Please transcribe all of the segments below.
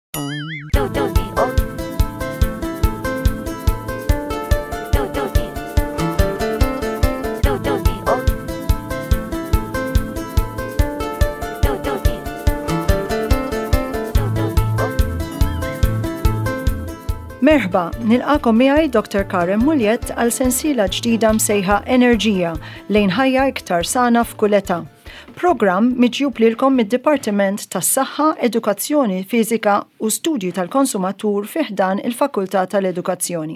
Merħba, nilqakom miegħi Dr. Karen Muliet għal sensiela ġdida msejħa Enerġija lejn ħajja iktar sana f'kull età. Programm miġjub lilkom mid-Dipartiment tas-Saħħa, Edukazzjoni Fiżika u Studji tal-Konsumatur fi ħdan il-Fakultà tal-Edukazzjoni.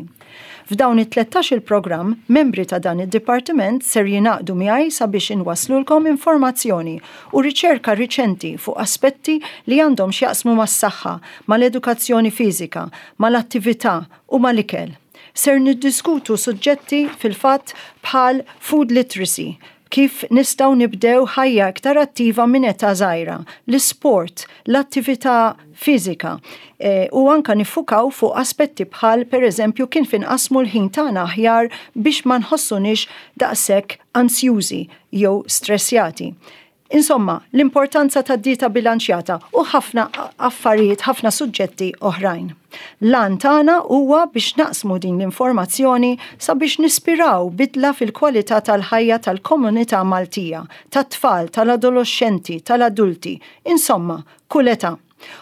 F'dawn it-tlettax-il programm, membri ta' dan id-dipartiment ser jingħaqdu miegħi sabiex inwasslulkom informazzjoni u riċerka riċenti fuq aspetti li għandhom x'jaqsmu mas-saħħa, mal-edukazzjoni fiżika, mal-attività u mal-ikel. Ser niddiskutu suġġetti fil-fatt bħal food literacy, kif nistgħu nibdew ħajja iktar attiva minn età żgħira, l-isport, l-attività fiżika e, u anka niffukaw fuq aspetti bħal pereżempju kif inqassmu l-ħin tagħna aħjar biex ma nħossuniex daqshekk ansjużi jew stressjati. Insomma, l-importanza ta' dieta bilanċjata u ħafna affarijiet, ħafna suġġetti oħrajn. L-għan tagħna huwa biex naqsmu din l-informazzjoni sabiex nispiraw bidla fil-kwalità tal-ħajja tal-komunità Maltija, tat-tfal, tal-adoloxxenti, tal-adulti, insomma, kull età.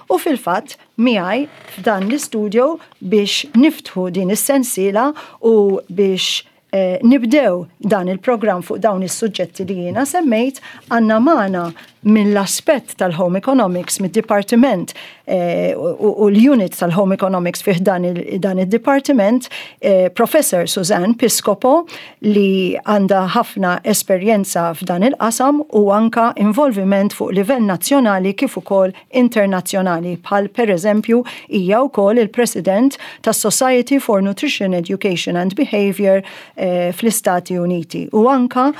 U fil-fatt, miegħi f'dan l-istudio biex niftħu din is-sensiela u biex nibdew dan il-programm fuq dawn is-suġġetti li jiena semmejt, għandna magħna mill-aspett tal-Home Economics, mid-Dipartiment eh, u l-unit tal-Home Economics fih dan il-Dipartiment, eh, Professor Suzanne Piscopo li għandha ħafna esperjenza f'dan il-qasam u anka involviment fuq livell nazzjonali kif ukoll internazzjonali bħal pereżempju hija wkoll il-President tas-Society for Nutrition Education and Behavior eh, fl-Istati Uniti u anka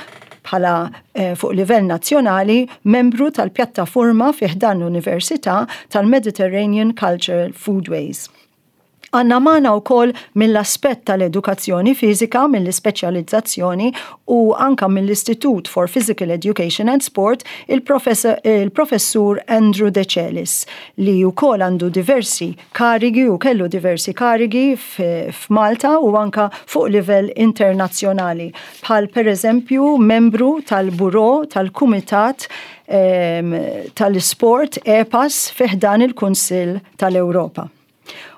bħala eh, fuq livell nazzjonali membru tal-pjattaforma fi ħdan l-Università tal-Mediterranean Cultural Foodways. Għandna magħna wkoll mill-aspett tal-edukazzjoni fiżika, mill-ispeċjalizzazzjoni u anka mill-Istitut for Physical Education and Sport il-Professur Andrew Decelis li wkoll għandu diversi karigi u kellu diversi karigi f'Malta u anka fuq livell internazzjonali bħal pereżempju membru tal-Bureau tal-Kumitat ehm, tal-Isport EPAS fi ħdan il-Kunsill tal-Ewropa.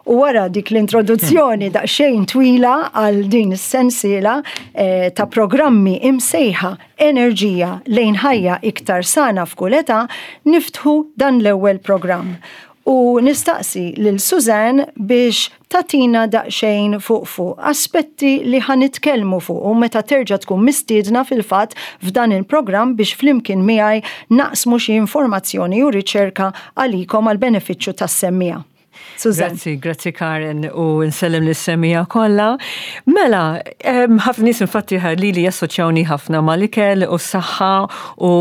U wara dik l-introduzzjoni daqsxejn twila għal din is-sensiela eh, ta' programmi imsejħa enerġija lejn ħajja iktar sana f'kull età, niftħu dan l-ewwel programm. U nistaqsi lil Suzanne biex tatina daqsxejn fuq fuq aspetti li ħa nitkellmu fuq u meta terġa' tkun mistiedna fil-fatt f'dan il-programm biex flimkien miegħi naqsmu xi informazzjoni u riċerka għalikom għall-benefiċċju tas-semmiegħa. Suzanne. Grazzi, grazzi Karen u nsellem lis-semmiegħa kollha. Mela, ħafna nies infatti li li jassoċjawni ħafna mal-ikel u s-saħħa u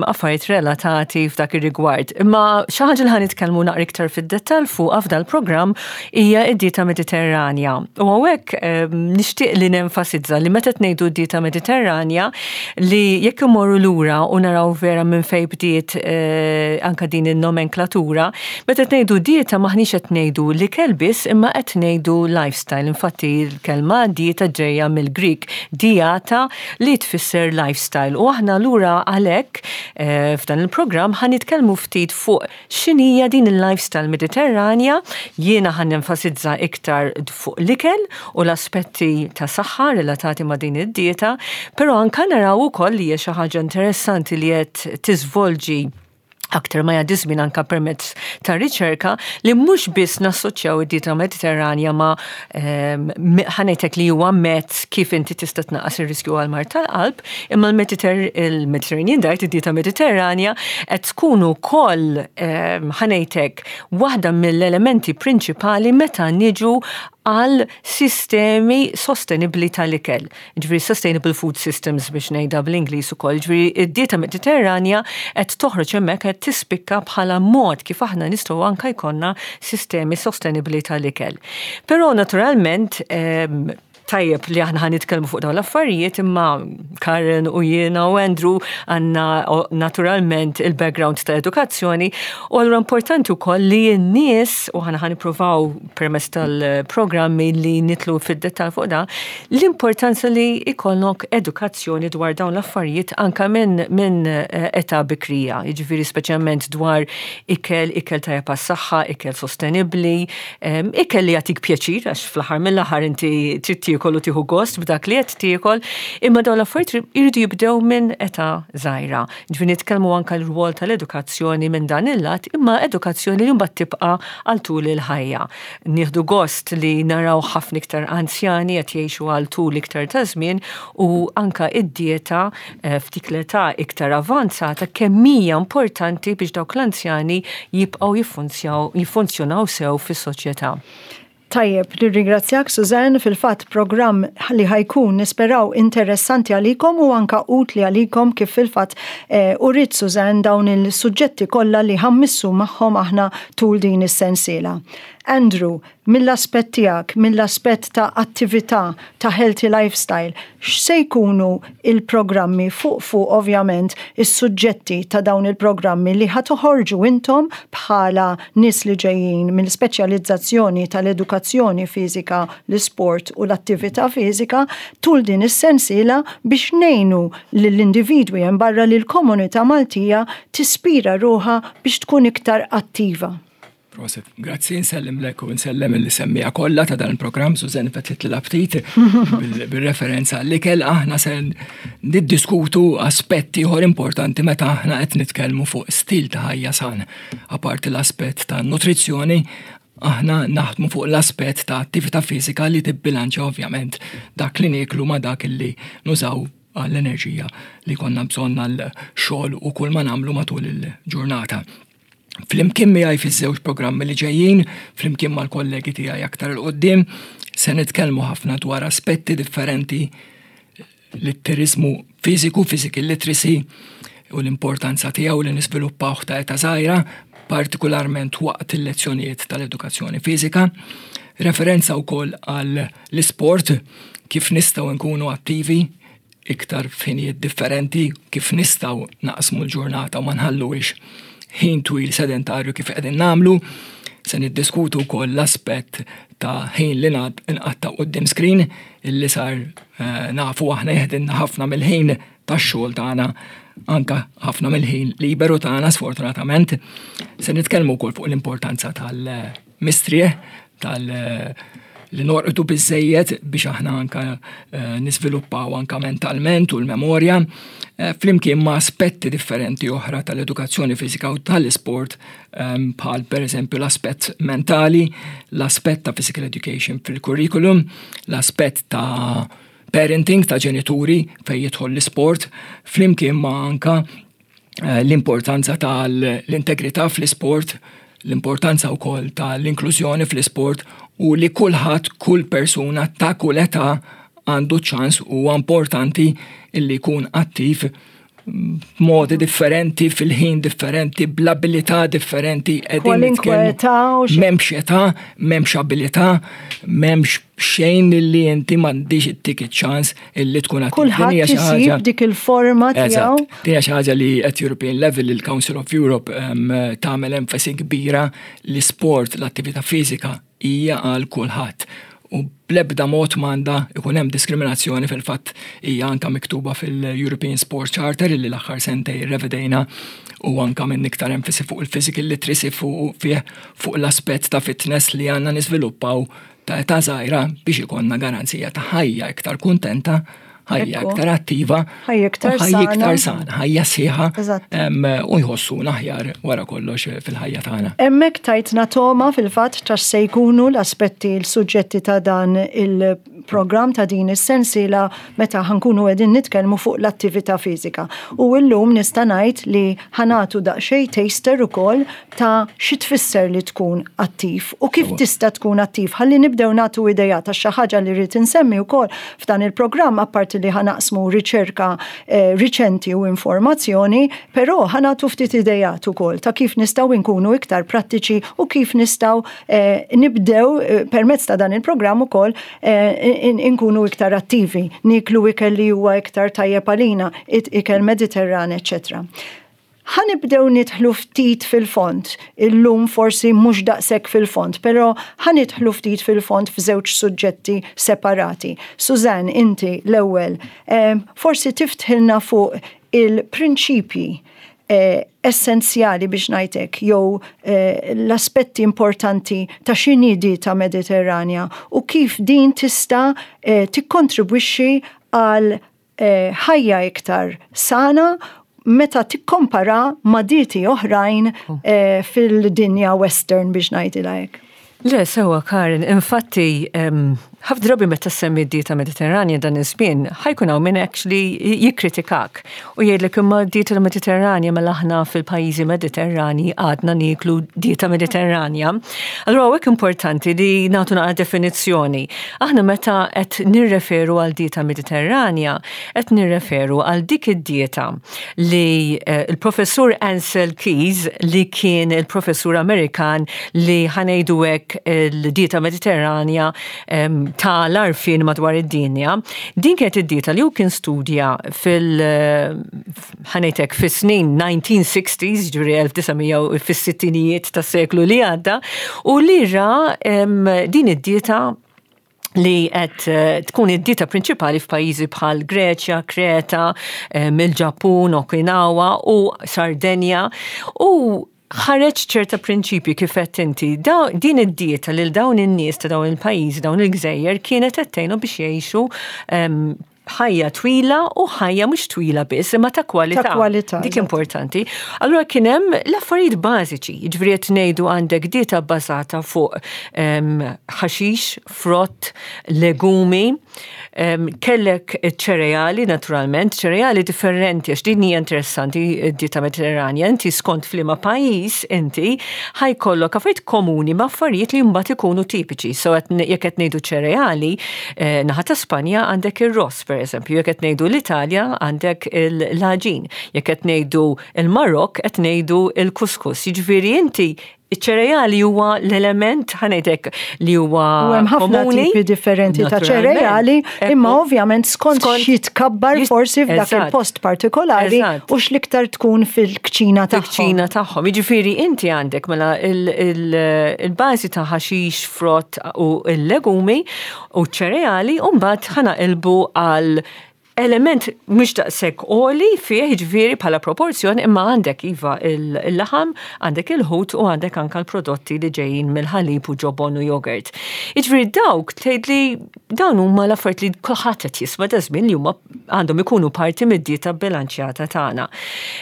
affarijiet relatati f'dak ir-rigward. Imma xi ħaġa li ħa nitkellmu naqra iktar fid-dettall fuqha f'dal-programm hija d-dieta Mediterranja. U hawnhekk nixtieq li nenfasizza li meta ngħidu d-dieta Mediterranja li jekk imorru lura u naraw vera minn fejn bdiet eh, anka din in-nomenklatura, meta ngħidu dieta maħniex qed ngħidu l-ikel biss imma qed ngħidu lifestyle. Infatti l-kelma dieta ġejja mill-Greek diata li tfisser lifestyle. U aħna lura għalhekk eh, f'dan il-programm ħa nitkellmu ftit fuq X'inhija din il-lifestyle Mediterranja? Jiena ħa nenfasizza iktar fuq l-ikel u l-aspetti ta' saħħa relatati ma' din id-dieta, però anka naraw ukoll li hija xi ħaġa interessanti li qed tiżvolġi aktar ma jgħaddi żmien anka permezz ta' riċerka li mhux biss nassoċjaw id-dieta Mediterranja ma' ehm, ħanejtek li huwa mezz kif inti tista' tnaqqas ir-riskju għal mard tal-qalb, imma l-Mediterranean diet, id-dieta Mediterranja, qed tkun ukoll ehm, ħanejtek waħda mill-elementi prinċipali meta niġu għal sistemi sostenibli tal-ikel. Ġifieri sustainable food systems biex ngħidha bl-Ingliż ukoll. Ġifieri id-dieta Mediterranja qed toħroġ hemmhekk qed tispikka bħala mod kif aħna nistgħu anke jkollna sistemi sostenibbli tal-ikel. Però naturalment ehm, Tajjeb li aħna ħa nitkellmu fuq dawn l-affarijiet imma Karen u jiena u Andrew għandna naturalment il-background ta' edukazzjoni u allura importanti wkoll li n-nies u aħna ħa nippruvaw permezz tal-programmi li nidħlu fid-dettall fuq da, l-importanza li ikollok edukazzjoni dwar dawn l-affarijiet anka minn età bikrija, jiġifieri speċjalment dwar ikel, ikel tajjeb għas-saħħa, ikel sostenibbli, ikel li jagħtik pjaċir għax fl-aħħar mill-aħħar inti trid tiekol u tieħu gost b'dak li qed tiekol, imma dawn l-affarijiet jridu jibdew minn età żgħira. Ġifieri nitkellmu anke l-rwol tal-edukazzjoni minn dan il-lat, imma edukazzjoni li mbagħad tibqa' għal tul il-ħajja. Nieħdu gost li naraw ħafna iktar anzjani qed jgħixu għal tul iktar ta' żmien u anka id-dieta f'dik l-età iktar avanzata kemm hija importanti biex dawk l-anzjani jibqgħu jiffunzjonaw sew fis-soċjetà. Tajjeb, nirringrazzjak Suzanne, fil-fatt programm li ħa jkun nisperaw interessanti għalikom u anka utli għalikom kif fil-fatt eh, uriet Suzanne dawn il-suġġetti kollha li ħa mmissu magħhom aħna tul din is-sensiela. Andrew, mill-aspett tiegħek, mill-aspett ta' attività, ta' healthy lifestyle, x'se jkunu il-programmi fuq fuq ovvjament is-suġġetti ta' dawn il-programmi li ħa toħorġu intom bħala nies li ġejjin mill-speċjalizzazzjoni tal-edukazzjoni fiżika, l-isport u l-attività fiżika tul din is-sensiela biex ngħinu lill-individwi hemm barra lill-komunità Maltija tispira ruħha biex tkun iktar attiva. Prosit, grazzi, nsellimlek u nsellem lis-semmiegħa kollha ta' dan il-programm, Susan fetħitli l-aptit bil-referenza l-ikel aħna se niddiskutu aspetti ieħor importanti meta aħna qed nitkellmu fuq stil ta' ħajja san. Apparti l-aspett ta' nutrizzjoni, aħna naħdmu fuq l-aspett ta' attività fiżika li tibbilanċa ovvjament dak li nieklu ma' dak li nużaw għall-enerġija li konna bżonn għal xogħol u kull ma nagħmlu matul il-ġurnata. Flimkien miegħi fiż-żewġ programmi li ġejjin, flimkien mal-kollegi tiegħi aktar 'il quddiem, se nitkellmu ħafna dwar aspetti differenti litteriżmu fiżiku, physical literacy, u l-importanza tiegħu li niżviluppawh ta' età żgħira, partikolarment waqt il-lezzjonijiet tal-edukazzjoni fiżika. Referenza wkoll għal l-isport, kif nistgħu nkunu attivi iktar f'ħinijiet differenti, kif nistgħu naqsmu l-ġurnata u ma nħalluhiex ħin twil sedentarju kif qegħdin nagħmlu. Se niddiskutu wkoll l-aspett ta' ħin li nqatta' quddiem screen illi sar eh, nafu aħna jeħdilna ħafna mill-ħin tax-xogħol tagħna anka ħafna mill-ħin liberu tagħna sfortunatament. Se nitkellmu wkoll fuq l-importanza tal-mistrieħ tal- li norqdu biżejjed biex aħna anka eh, niżviluppaw anka mentalment u l-memorja, eh, flimkien ma' aspetti differenti oħra tal-edukazzjoni fiżika u tal-isport ehm, bħal per eżempju l-aspett mentali, l-aspett ta' physical education fil-curriculum, l-aspett ta' parenting ta' ġenituri fejn jidħol l-isport, flimkien ma' anka eh, l-importanza tal-integrità fl-isport, l-importanza wkoll tal-inklużjoni fl-isport u li kulħadd, kull persuna ta' kull età għandu ċans u importanti illi jkun attiv b'modi differenti, fil-ħin differenti, bl-abilità differenti. Kwalinkwe età. M'hemmx età, m'hemmx abilità, m'hemmx xejn illi inti m'għandix ittik ċans illi tkun attiv. Kulħadd isib dik il-forma tiegħu. Din hija xi ħaġa li at European level il-Council of Europe tagħmel enfasi kbira li sport, l-attività fiżika hija għal kulħadd. U bl-ebda mod m'għandha ikun hemm diskriminazzjoni fil-fatt hija anka miktuba fil-European Sport Charter illi l-aħħar sentej revedejna u anka minn iktar enfasi fuq il-physical literacy fuq fuq l-aspett ta' fitness li għandna niżviluppaw ta' età żgħira biex ikollna garanzija ta' ħajja iktar kuntenta, ħajja iktar attiva, ħajja iktar sana, ħajja sħiħa u jħossuna aħjar wara kollox fil-ħajja tagħna. Hemmhekk tajtna toma fil-fatt ta' se jkunu l-aspetti l-suġġetti ta' dan il-programm ta' din is-sensiela meta ħa nkunu qegħdin nitkellmu fuq l-attività fiżika. U llum nista' ngħid li ħa nagħtu daqsxejn taster ukoll ta' xi tfisser li tkun attiv u kif tista' tkun attiv. Ħalli nibdew nagħtu idea ta' xi ħaġa li rrid insemmi wkoll f'dan il-programm apparti li ħa naqsmu riċerka eh, riċenti u informazzjoni, però ħa nagħtu ftit idejat ukoll ta' kif nistgħu nkunu iktar prattiċi u kif nistgħu eh, nibdew eh, permezz ta' dan il-programm ukoll Inkunu iktar attivi, nieklu ikel li huwa iktar tajjeb għalina, ikel Mediterran, eċċetera. Ħa nibdew nidħlu ftit fil-fond, illum forsi mhux daqshekk fil-fond, però ħa nidħlu ftit fil-fond f'żewġ suġġetti separati. Suzanne, inti l-ewwel, forsi tiftħilna fuq il-prinċipji essenzjali biex ngħid hekk, jew l-aspetti importanti ta' x'inhi dieta Mediterranja u kif din tista' tikkontribwixxi għal ħajja iktar sana meta tikkompara ma' dieti oħrajn fil-dinja western biex ngħidilha hekk. Le, sewwa Karin, infatti ħafna drabi meta semmi d-dieta Mediterranja dan iż-żmien, ħa jkun hawn min actually jikkritikak u jgħidlek imma d-dieta Mediterranja mela aħna fil-pajjiżi Mediterrani għadna nieklu dieta Mediterranja. Allura hawnhekk importanti li nagħtu naqra definizzjoni. Aħna meta qed nirreferu għal dieta Mediterranja, qed nirreferu għal dik id-dieta li l-professur Ancel Keys li kien il-professur Amerikan li ħa ngħidu hekk il-dieta Mediterranja ta' l-għarfien madwar id-dinja. Din kienet id-dieta li hu kien studja fil ħa ngħid hekk fis-snin 1960s, ġifieri 1900 fis-sittinijiet tas-seklu li għadda, u li ra din id-dieta li qed tkun id-dieta prinċipali f'pajjiżi bħal Greċja, Kreta, il-Ġappun, Okinawa u Sardenja u ħareġ ċerta prinċipji kif qed inti. Din id-dieta lil dawn in-nies ta' dawn il-pajjiżi, dawn il-gżejjer kienet qed tgħinhom biex jgħixu ħajja twila u ħajja mhux twila biss, imma ta' kwalità. Ta' kwalità. Dik importanti. Allura kien hemm l-affarijiet bażiċi, jiġifieri qed ngħidu għandek dieta bbażata fuq ħaxix, frott, legumi, kellek ċereali naturalment, ċereali differenti għax din hija interessanti d-dieta Mediterranja, inti skont f'liema pajjiż inti ħa jkollok affarijiet komuni ma' affarijiet li mbagħad ikunu tipiċi. So jekk qed ngħidu ċereali, Naħa ta' Spanja għandek ir-ross, per eżempju, jekk qed ngħidu l-Italja għandek l-għaġin, jekk qed ngħidu l-Marokk qed ngħidu l-kuskus. Jiġifieri inti iċ-ċereali huwa l-element ħa ngħidlek li huwa U hemm ħafna tipi differenti ta' ċereali, imma ovvjament skont xitkabbar forsi f'dak il-post partikolari u x'l-iktar tkun fil-kċina tagħhom. Fil-kċina tagħhom. Jiġifieri inti għandek mela il-bażi ta' ħaxix, frott u l-legumi u ċereali u mbagħad ħa naqilbu għal element mhux daqshekk għoli fih jiġifieri bħala proporzjon imma għandek iva il-laħam, għandek il-ħut u għandek anka l-prodotti li ġejjin mill-ħalib u ġobon u jogurt. Jiġifieri dawk tgħidli dawn huma l-affarijiet li kulħadd qed jisma' da żmien li huma għandhom ikunu parti mid-dieta bilanċjata tagħna.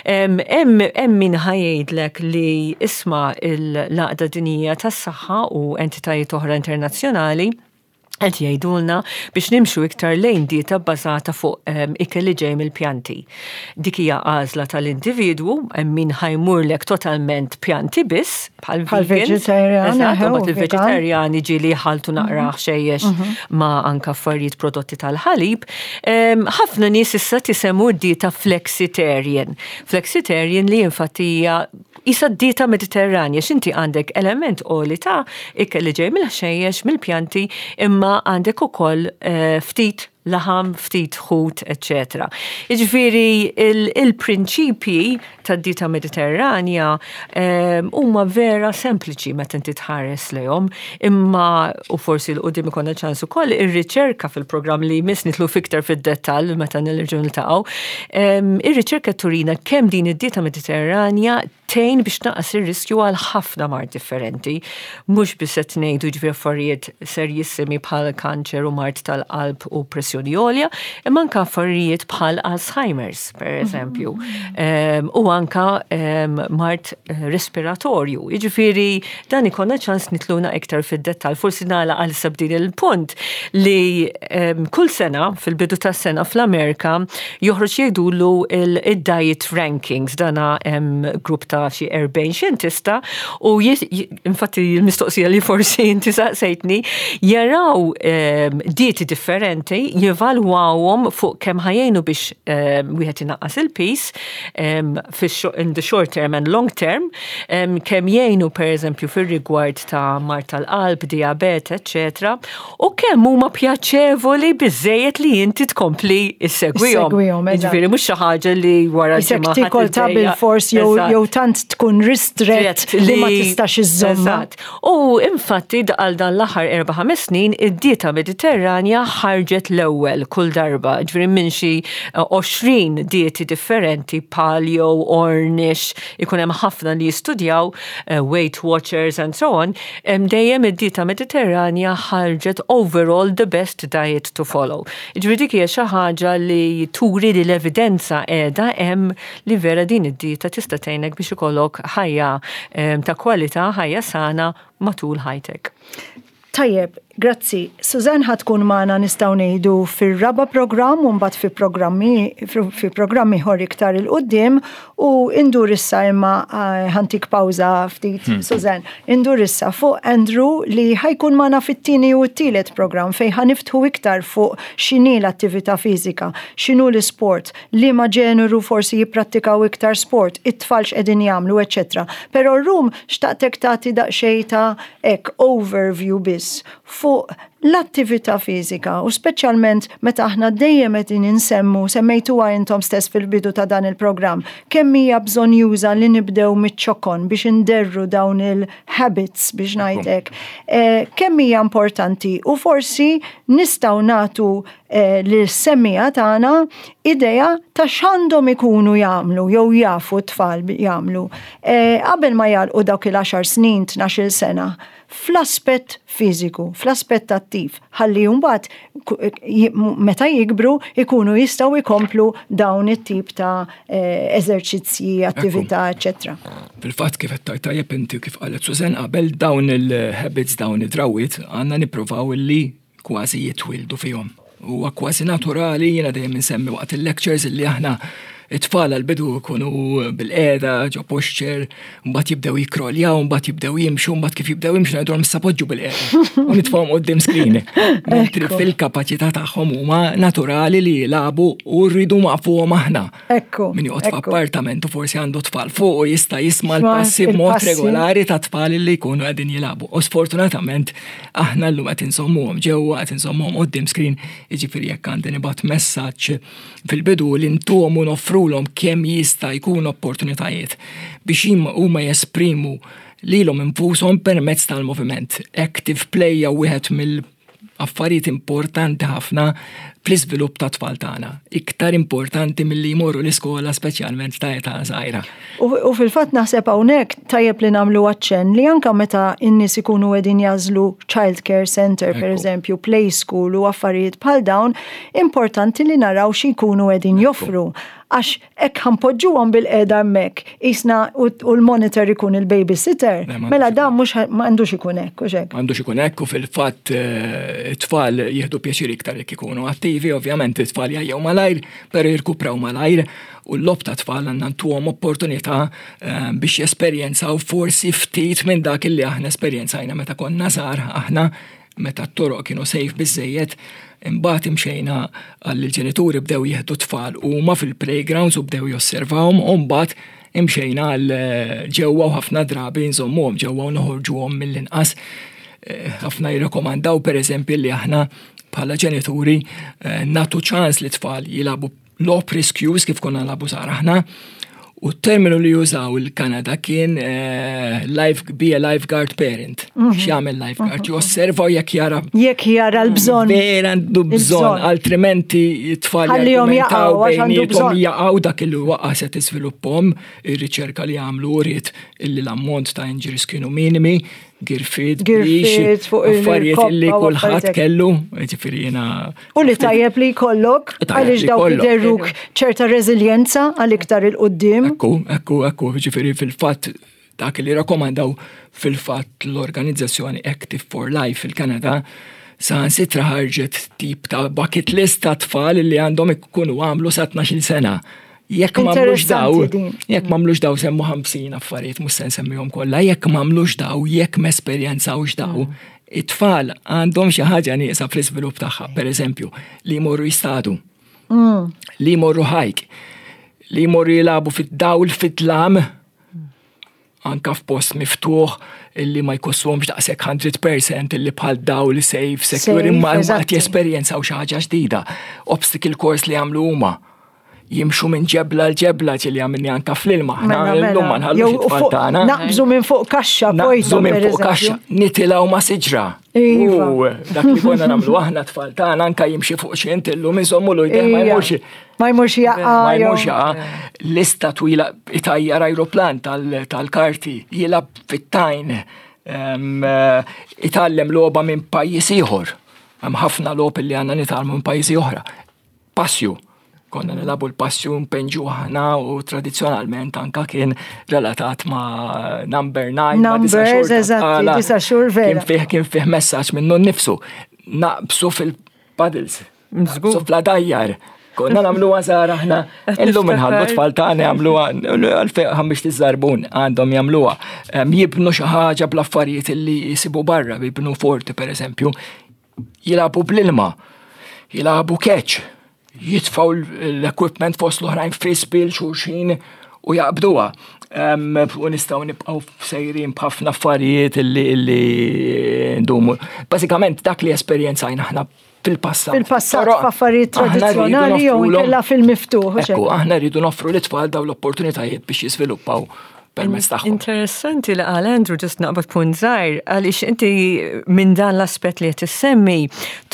Hemm min ħa jgħidlek li isma' l-Għaqda Dinjija tas-Saħħa u entitajiet oħra internazzjonali qed jgħidulna biex nimxu iktar lejn dieta bbażata fuq ikel li ġej mill-pjanti. Dik hija għażla tal-individwu, hemm min ħa jmurlek totalment pjanti biss, bħal vegetarian. Eżatt, il-vegetarjani ġieli jħalltu naqra ħxejjex ma' anka affarijiet prodotti tal-ħalib. Ħafna nies issa tisemmu d-dieta flexitarian. Flexitarian li infatti hija Isa d-dieta Mediterranja, x'inti għandek element għoli ta' ikel li ġej mill-ħxejjex, mill-pjanti, imma għandek ukoll ftit laħam, ftit ħut, eċċetera. Jiġifieri il-prinċipji tad-dieta Mediterranja huma vera sempliċi meta inti tħares lejhom, imma u forsi 'l quddiem ikollna ċans ukoll ir-riċerka fil-programm li jmiss nidħlu fiktar fid-dettall meta nerġgħu niltaqgħu, Ir-riċerka turina kemm din id-dieta Mediterranja tgħin biex tnaqqas ir-riskju għal ħafna mard differenti. Mhux biss qed ngħidu jiġifieri affarijiet serjissimi bħal kanċer u mard tal-qalb u pressjoni għolja, imma anke affarijiet bħal Alzheimer's, per eżempju, u anke mard respiratorju. Jiġifieri dan ikollna ċans nitluna iktar fid-dettall. Forsi nagħlaq għal issa b'din il-punt li kull sena fil-bidu tas-sena fl-Amerika joħroġ jgħidulu il-diet rankings dana hemm grupp ta' xi 40 xjentista u infatti l-mistoqsija li forsi inti saqsejtni jaraw dieti differenti, jevalwawhom fuq kemm ħa jgħinu biex wieħed inaqqas il-piż in the short term and long term, kemm jgħinu pereżempju fir-rigward ta' mard tal-qalb, dijabete, eċċetera, u kemm huma pjaċevoli biżejjed li inti tkompli issegwihom. Jiġifieri mhux xi ħaġa li wara ġimgħa. Tikol ta' bil-fors jew tant tkun ristrett li ma tistax iżżomm. Eżatt. U infatti għal dan l-aħħar 4-5 snin id-dieta Mediterranja ħarġet l-ewwel kull darba, ġifieri minn xi 20 dieti differenti, paleo, Ornish, ikun hemm ħafna li jistudjaw, Weight Watchers and so on, dejjem id-dieta Mediterranja ħarġet overall the best diet to follow. Jiġifieri dik hija xi ħaġa li turi li l-evidenza qiegħda hemm li vera din id-dieta tista' tgħinek biex ikollok ħajja ta' kwalità, ħajja sana matul ħajtek. Tajjeb, grazzi. Suzanne ħa tkun magħna nistgħu ngħidu fir-raba' programm u mbagħad fi programmi fi programm ieħor iktar 'il quddiem u indur issa imma eh, ħantik pawża ftit Suzanne. Indur issa fuq Andrew li ħajkun magħna fit-tieni u t-tielet programm fejn ħaniftħu iktar fuq x'inhi l-attività fiżika, x'inhu l-isport, liema ġeneru forsi jipprattikaw iktar sport, it-tfal x'qegħdin jagħmlu, eċċetera. Però rrum xtaqtek tagħti daqsxejn ta' hekk overview biss fuq l-attività fiżika u speċjalment meta aħna dejjem qegħdin insemmu, semmejtuha intom stess fil-bidu ta' dan il-programm, kemm hija bżonnjuża li nibdew miċ-ċokon biex inderru dawn il-habits biex ngħid hekk. Eh, kemm hija importanti u forsi nistgħu nagħtu eh, lis-semmiegħa tagħna idea ta' x'għandhom ikunu jagħmlu jew jafu t-tfal jagħmlu eh, qabel ma jagħlqu dawk il-10 snin, 12 sena fl-aspett fiżiku, fl-aspett attiv, ħalli mbagħad meta jikbru ikunu jistgħu jkomplu dawn it-tip ta' eh, eżerċizzji, attività, eċetera. Fil-fatt kif qed tajjeb inti kif qalet Susan qabel dawn il-habits, dawn id-drawwiet għandna nippruvaw li kważi jitwieldu fihom. Huwa kważi naturali, jiena dejjem insemmi waqt il-lectures illi aħna it-tfal għal-bidu jkunu bil-qeda, ġo posture, mbagħad jibdew jikroljaw, mbagħad jibdew jimxu, mbagħad kif jibdew jimxu ngħidulhom issa poġġu bil-qeda. U nitfgħuhom quddiem screen. Mentri fil-kapaċità tagħhom huma naturali li jilagħbu u rridu waqfuhom aħna. Ekku. Min joqgħod f'appartament u forsi għandu tfal fuq u jista' jisma' l-passi b'mod regolari ta' tfal li jkunu qegħdin jilagħbu. U sfortunatament aħna llum qed insommuhom ġewwa qed insommuhom quddiem screen, jiġifieri jekk għandi nibgħat messaġġ fil-bidu li ntuhom u noffrulhom kemm jista' jkun opportunitajiet biex huma jesprimu lilhom infushom permezz tal-moviment. Active play hija wieħed mill affarijiet importanti ħafna fl-iżvilupp ta' tfal tagħna. Iktar importanti milli jmorru l-iskola speċjalment ta' età żgħira. U fil-fatt naħseb hawnhekk tajjeb li nagħmlu aċċenn li anke meta n-nies ikunu qegħdin jagħżlu child care center pereżempju, play school u affarijiet bħal dawn, importanti li naraw xi jkunu qegħdin joffru. Għax Hekk ħa npoġġuhom bilqiegħda hemmhekk, qisna u l-monitor ikun il-babysitter, mela dan mhux m'għandux ikun hekk, hux hekk? M'għandux ikun hekk u fil-fatt it-tfal jieħdu pjaċir iktar jekk ikunu attivi, ovvjament it-tfal jgħajjew malajr, però jirkupraw malajr u l-logħob tat-tfal għandna ntuhom opportunità biex jesperjenzaw forsi ftit minn dak li aħna esperjenzajna meta konna żgħar aħna meta t-toroq kienu safe biżżejjed, imbagħad imxejna għal il-ġenituri bdew jieħdu tfal huma fil-playgrounds u bdew josservawhom u mbagħad imxejna għal eh, ġewwa u ħafna drabi nżommuhom ġewwa u noħorġuhom mill-inqas. Eh, ħafna jirrekomandaw pereżempju li aħna bħala ġenituri eh, natu ċans li tfal jilabu logħob riskjuż kif konna nilagħbu żgħar aħna. U t-terminu li jużaw il-Kanada kien eh, life, be a lifeguard parent. Mhm. X'jagħmel lifeguard? Mhm. Josserva jekk jara. Jekk jara l-bżonn. Vera għandu bżonn, altrimenti t-tfal Ħallihom jaqgħu għax għandu bżonn. Jaqgħu dak il waqa se tiżviluppahom, ir-riċerka li għamlu uriet illi l-ammont ta' injuries kienu minimi, girfid, girfid, fuq affarijiet illi kulħadd kellu, ġifieri jiena. U li tajjeb li jkollok għaliex dawk jderruk ċerta reżiljenza għal iktar il-qudiem. Ekku, ekku, ekku, ġifieri fil-fatt dak li rakkomandaw fil-fatt l-organizzazzjoni Active for Life fil-Kanada saħansitra ħarġet tip ta' bucket list ta' tfal li għandhom ikunu għamlu sa 12 sena. Jekk m'għamlux daw, jekk m'għamlux daw semmu 50 affarijiet mhux se nsemmihom kollha, jekk m'għamlux daw, jekk m'esperjenzawx daw, mm. it-tfal għandhom xi ħaġa nieqsa fl-iżvilupp tagħha, pereżempju, li jmorru jistadu, mm. li jmorru ħajk, li jmorru jilagħbu fid-dawl fid-dlam, anka f'post miftuħ illi ma jkosswhomx daqshekk 100% illi bħal dawl safe, secure, imma qed jesperjenzaw xi ħaġa ġdida. Obstacle course li jagħmlu huma jimxu minn ġebla l-ġebla ġili għamilni anka fl-ilma. Mela, mela. Illum ma nħallux it-tfal tagħna. Naqbżu minn fuq kaxxa, naqbżu minn fuq kaxxa, nitilgħu ma' siġra. Iva. U dak li konna nagħmlu aħna tfal tagħna anka jimxi fuq xi intillu minn sommu l ma jmurx. Ma jmurx jaqa. Ma jmurx jaqa. Lista twila itajjar ajruplan tal-karti, jilab fit-tajn, eh, itgħallem logħba minn pajjiż ieħor. Hemm ħafna logħob li għandna nitgħallmu minn pajjiżi oħra. Passju. Konna nilabu l-passju npenġu aħna u tradizzjonalment anka kien relatat ma' number 9. Numbers, eżatti, disa xhur vera. Kien fih kien fih messaġġ minnu nnifsu. Naqbsu fil-paddles. Naqbsu fl-adajjar. Konna namlu għazar aħna, illum nħallu tfal tagħna jagħmluha għalfejn ħammix tiżarbun għandhom jagħmluha. Jibnu xi ħaġa bl-affarijiet li jisibu barra, jibnu forti pereżempju, jilagħbu bl-ilma, jilagħbu catch, jitfaw l-equipment fost l-oħrajn frisbee l-xulxin u jaqbduha. U nistgħu nibqgħu sejrin b'ħafna affarijiet illi illi ndumu. Bażikament dak li esperjenzajna aħna fil-passat. Fil-passat f'affarijiet tradizzjonali jew inkella fil-miftuħ. Ekku, aħna rridu noffru l-itfal daw l-opportunitajiet biex jiżviluppaw permezz tagħhom. Interessanti li qal Andrew ġust naqbad punt żgħir għaliex inti minn dan l-aspett li qed issemmi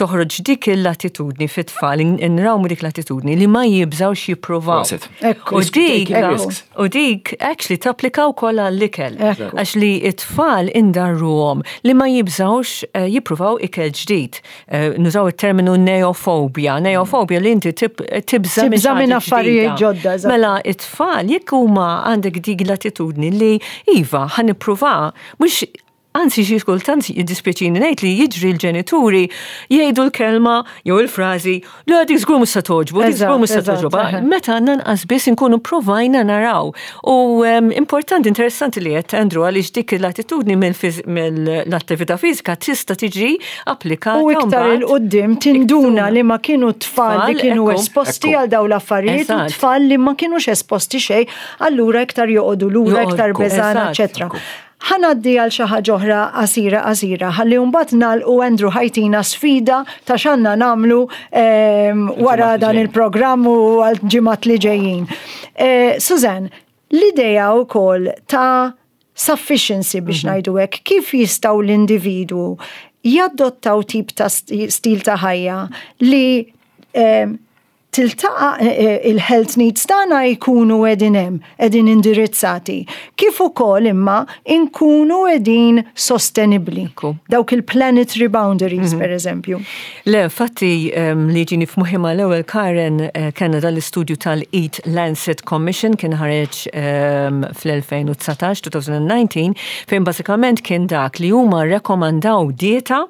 toħroġ dik l-attitudni fit-tfal, inrawmu dik l-attitudni li ma jibżgħux jippruvaw. U dik u dik actually tapplika wkoll għall-ikel. Għax li t-tfal indarruhom li ma jibżgħux eh, jippruvaw ikel ġdid. Eh, nużaw it-terminu neofobia. Neofobia li inti tibża tibża minn affarijiet ġodda. Mela it-tfal jekk huma għandek dik l-attitudni li iva ħa nippruva mhux Anzi xi kultant jiddispjaċini ngħid li jiġri l-ġenituri jgħidu l-kelma jew il-frażi li dik żgur mhux se togħġbu, dik żgur mhux se togħġobha. Meta nanqas biss inkunu provajna naraw. U importanti, interessanti li qed Andrew għaliex dik l-attitudni mill-attività fiżika tista' tiġi applikata. U iktar il-qoddim tinduna li ma kienu tfal li kienu esposti għal daw l-affarijiet u tfal li ma kienux esposti xejn, allura iktar joqogħdu lura, iktar beżana, eċetera. Ħa ngħaddi għal xi ħaġa oħra qasira qasira ħalli mbagħad nagħlqu Andrew ħajtina sfida ta' x'għandna nagħmlu ehm, wara dan il-programm u għal ġimgħat li ġejjin. Eh, Suzanne, l-idea wkoll ta' sufficiency biex mhm. ngħidu hekk, kif jistgħu l-individwu jadottaw tip ta' stil ta' ħajja li ehm, tiltaqa' eh, eh, il-health needs tagħna jkunu qegħdin hemm, qegħdin indirizzati. Kif ukoll imma nkunu qegħdin sostenibbli. Dawk il-planetary boundaries, mhm. per eżempju. Le, infatti ehm, li ġini f'moħħi mal-ewwel Karen eh, kellna dal-istudju tal-Eat Lancet Commission kien ħareġ ehm, fl-2019, 2019, fejn bażikament kien dak li huma rekomandaw dieta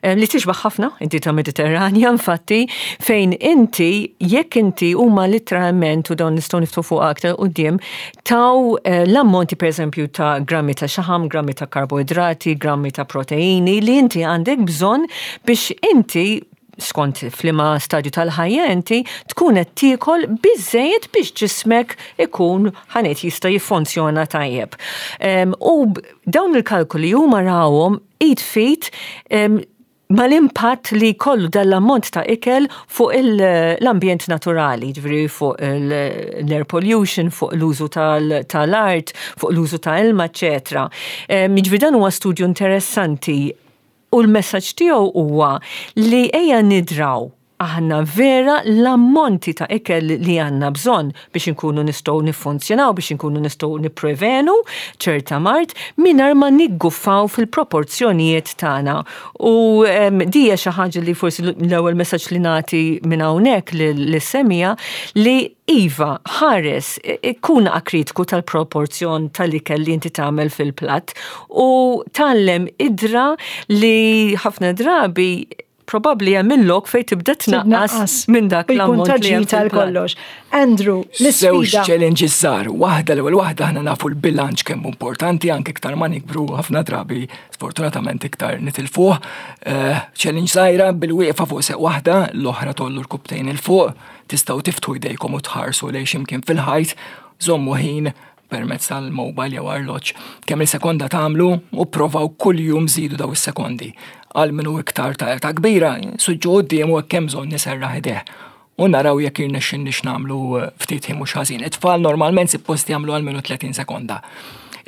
Eh, li tixbaħ ħafna id-dieta Mediterranja infatti fejn inti jekk inti huma literalment u dawn nistgħu niftu fuq aktar quddiem taw eh, l-ammonti pereżempju ta' grammi ta' xaħam, grammi ta' karboidrati, grammi ta' proteini li inti għandek bżonn biex inti skont flima stadju tal-ħajja inti tkun qed tiekol biżejjed biex ġismek ikun ħanet jista' jiffunzjona tajjeb. U dawn il-kalkoli huma rawhom id f'id mal-impatt li jkollu dan l-ammont ta' ikel fuq l-ambjent naturali, ġifieri fuq l-air pollution, fuq l-użu tal-art, fuq l-użu ta' ilma, eċetera. Jiġifieri dan huwa studju interessanti u l-messaġġ tiegħu huwa li ejja nidraw aħna vera l-ammonti ta' ikel li għandna bżonn biex inkunu nistgħu niffunzjonaw, biex inkunu nistgħu nipprevenu ċerta mard mingħajr ma nigguffaw fil-proporzjonijiet tagħna. U di hija xi ħaġa li forsi l-ewwel messaġġ li nagħti minn hawnhekk lis-semija li iva, ħares, kun akritiku tal-proporzjon tal-ikel li inti tagħmel fil-platt u tgħallem idra li ħafna drabi. probabbli hemm il-lok fejn tibda tnaqqas minn dak l-ammont li hemm tal-kollox. Andrew, l-isfida. Żewġ challenges żgħar, waħda l-ewwel waħda aħna nafu l-bilanċ kemm importanti anke iktar ma nikbru ħafna drabi sfortunatament iktar nitilfuh. Eh, challenge żgħira bil-wieqfa fuq seq waħda, l-oħra tollu rkubtejn il fuq, tistgħu tiftħu jdejkom u tħarsu lejn x'imkien fil-ħajt, żommu ħin permezz tal-mobile jew arloġġ. Kemm il-sekonda tagħmlu u provaw kuljum żidu daw is-sekondi. Għal minu iktar ta' età kbira, suġġu quddiem u hekk hemm bżonn iserraħ ideh. U naraw jekk jirnexxinniex nagħmlu eh, ftit ħin mhux ħażin. It-tfal normalment suppost jagħmlu għal minu 30 sekonda.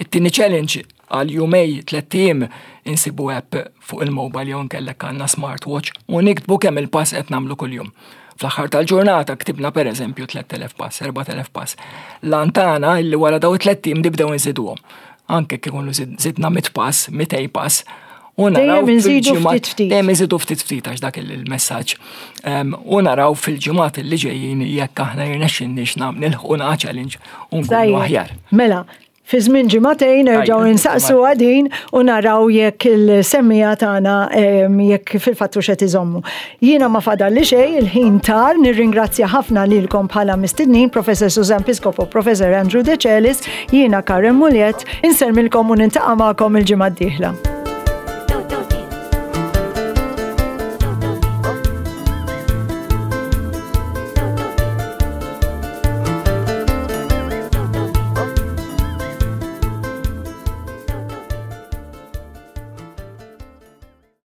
It-tieni challenge għal jumej tlett ijiem insibu app fuq il-mobile jew nkellek għandna smartwatch u niktbu kemm il-pass qed nagħmlu kuljum. Fl-aħħar tal-ġurnata ktibna pereżempju 3000 pass, 4000 pass. L-antana illi wara daw it-tlett ijiem nibdew inżiduhom. Anke kif ikunu zidna 100 pass, 200 pass, U naraw fil-ġimgħat ftit ftit. Dejjem inżidu ftit ftit għax dak il-messaġġ. U naraw fil-ġimgħat li ġejjin jekk aħna jirnexxinniex nilħqu challenge u nkunu aħjar. Mela, Fi żmien ġimagħtejn nerġgħu insaqsu għadin u naraw jekk il-semmija tagħna jekk fil-fatt hux qed iżommu. Jiena ma fadalli xejn, il-ħin tar, nirringrazzja ħafna lilkom bħala mistednin, Professor Susan Piscopo, Professor Andrew Decelis, jiena Karen Muliet, insellmilkom u nintaqa' magħkom il-ġimgħa d-dieħla.